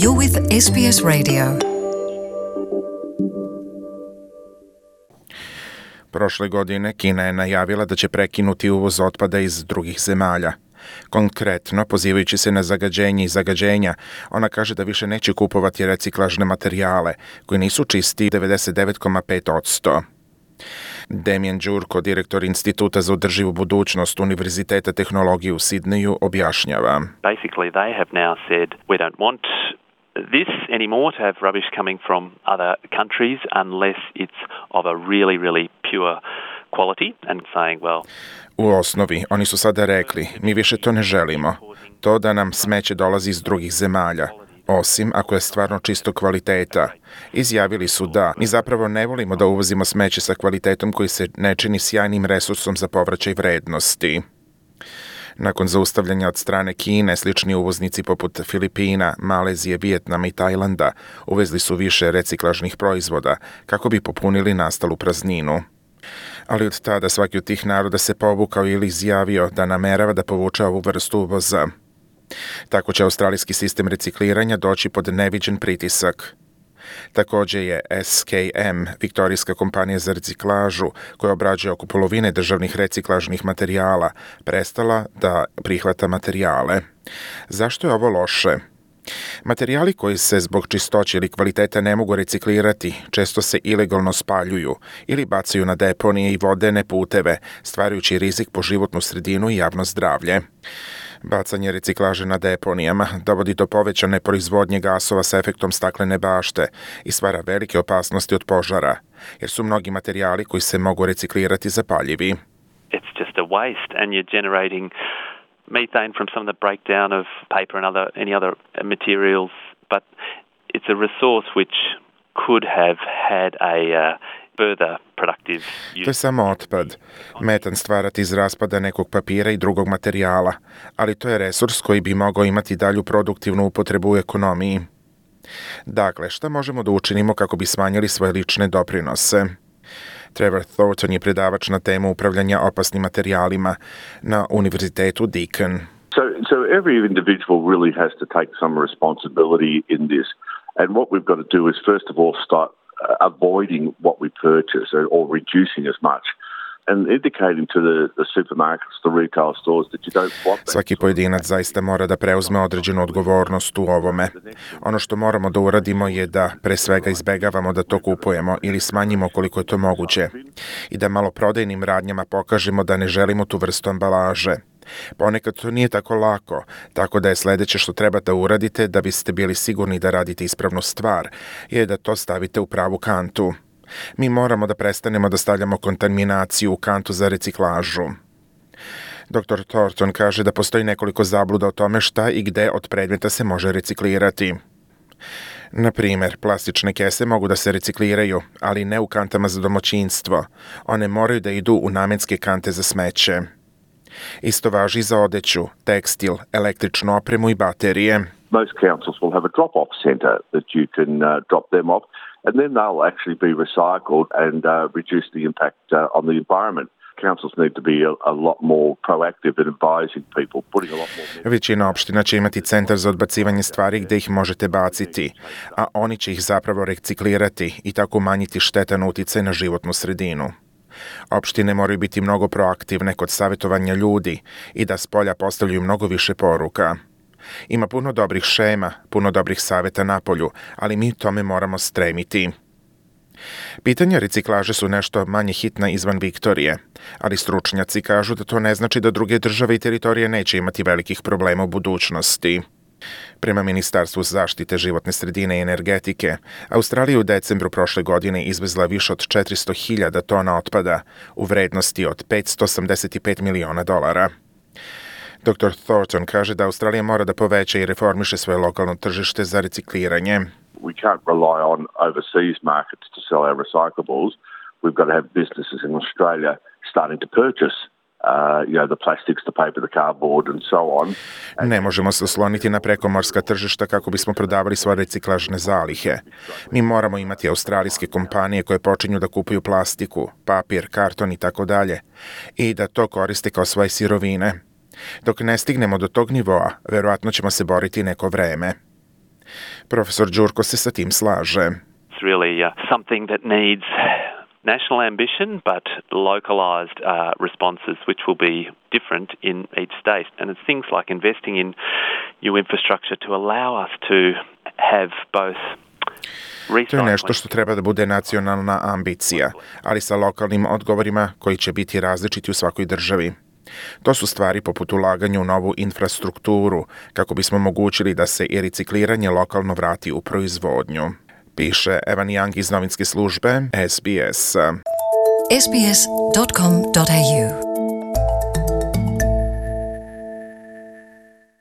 You're with SBS Radio. Prošle godine Kina je najavila da će prekinuti uvoz otpada iz drugih zemalja. Konkretno, pozivajući se na zagađenje i zagađenja, ona kaže da više neće kupovati reciklažne materijale, koji nisu čisti 99,5%. Damien Đurko, direktor Instituta za održivu budućnost Univerziteta tehnologije u Sidneju, objašnjava. Basically, they have now said we don't want this anymore to have rubbish coming from other countries unless it's of a really pure quality and saying, well... U osnovi, oni su sada rekli, mi više to ne želimo. To da nam smeće dolazi iz drugih zemalja, osim ako je stvarno čisto kvaliteta. Izjavili su da, mi zapravo ne volimo da uvozimo smeće sa kvalitetom koji se ne čini sjajnim resursom za povraćaj vrednosti. Nakon zaustavljanja od strane Kine, slični uvoznici poput Filipina, Malezije, Vijetnama i Tajlanda uvezli su više reciklažnih proizvoda kako bi popunili nastalu prazninu. Ali od tada svaki od tih naroda se povukao ili izjavio da namerava da povuče ovu vrstu uvoza. Tako će australijski sistem recikliranja doći pod neviđen pritisak. Također je SKM, viktorijska kompanija za reciklažu, koja obrađuje oko polovine državnih reciklažnih materijala, prestala da prihvata materijale. Zašto je ovo loše? Materijali koji se zbog čistoće ili kvaliteta ne mogu reciklirati često se ilegalno spaljuju ili bacaju na deponije i vodene puteve, stvarajući rizik po životnu sredinu i javno zdravlje. Bacanje reciklaže na deponijama dovodi do povećane proizvodnje gasova sa efektom staklene bašte i stvara velike opasnosti od požara, jer su mnogi materijali koji se mogu reciklirati zapaljivi. It's just a waste and you're generating methane from some of the breakdown of paper and any other materials, but it's a resource which could have had a further productive use. To je samo otpad. Metan stvarati iz raspada nekog papira i drugog materijala, ali to je resurs koji bi mogao imati dalju produktivnu upotrebu u ekonomiji. Dakle, šta možemo da učinimo kako bi smanjili svoje lične doprinose? Trevor Thornton je predavač na temu upravljanja opasnim materijalima na Univerzitetu Deakin. So every individual really has to take some responsibility in this. And what we've got to do is first of all start avoiding what we purchase or reducing as much. And indicating to the supermarkets, the retail stores that you don't want that. Svaki pojedinac zaista mora da preuzme određenu odgovornost u ovome. Ono što moramo da uradimo je da pre svega izbegavamo da to kupujemo ili smanjimo koliko je to moguće i da maloprodajnim radnjama pokažemo da ne želimo tu vrstu ambalaže. Ponekad to nije tako lako, tako da je sledeće što treba da uradite da biste bili sigurni da radite ispravnu stvar je da to stavite u pravu kantu. Mi moramo da prestanemo da stavljamo kontaminaciju u kantu za reciklažu. Dr. Thornton kaže da postoji nekoliko zabluda o tome šta i gde od predmeta se može reciklirati. Na primjer, plastične kese mogu da se recikliraju, ali ne u kantama za domaćinstvo. One moraju da idu u namenske kante za smeće. Isto važi za odeću, tekstil, električnu opremu i baterije. Most councils will have a drop-off centre that you can drop them off, and then they'll actually be recycled and reduce the impact on the environment. Councils need to be a lot more proactive in advising people, putting a lot more... Većina opština će imati centar za odbacivanje stvari gde ih možete baciti, a oni će ih zapravo reciklirati i tako umanjiti štetan uticaj na životnu sredinu. Opštine moraju biti mnogo proaktivne kod savjetovanja ljudi i da s polja postavljaju mnogo više poruka. Ima puno dobrih šema, puno dobrih savjeta napolju, ali mi tome moramo stremiti. Pitanja reciklaže su nešto manje hitna izvan Viktorije, ali stručnjaci kažu da to ne znači da druge države i teritorije neće imati velikih problema u budućnosti. Prema Ministarstvu zaštite životne sredine i energetike, Australija u decembru prošle godine izvezla više od 400.000 tona otpada u vrednosti od $585 miliona. Dr. Thornton kaže da Australija mora da poveća i reformiše svoje lokalno tržište za recikliranje. We can't rely on overseas markets to sell our recyclables. We've got to have businesses in Australia starting to purchase the plastics, the paper, the cardboard and so on. Ne možemo se osloniti na prekomorska tržišta kako bismo prodavali svoje reciklažne zalihe. Mi moramo imati australijske kompanije koje počinju da kupuju plastiku, papir, karton i tako dalje i da to koriste kao svoje sirovine. Dok ne stignemo do tog nivoa, verovatno ćemo se boriti neko vreme. Profesor Đurko se sa tim slaže. It's really something that needs national ambition, but localised responses, which will be different in each state. And it's things like investing in new infrastructure to allow us to have both. To je nešto što treba da bude nacionalna ambicija, ali sa lokalnim odgovorima koji će biti različiti u svakoj državi. To su stvari poput ulaganja u novu infrastrukturu, kako bismo omogućili da se i recikliranje lokalno vrati u proizvodnju. Piše Evan Young iz novinske službe SBS. sbs.com.au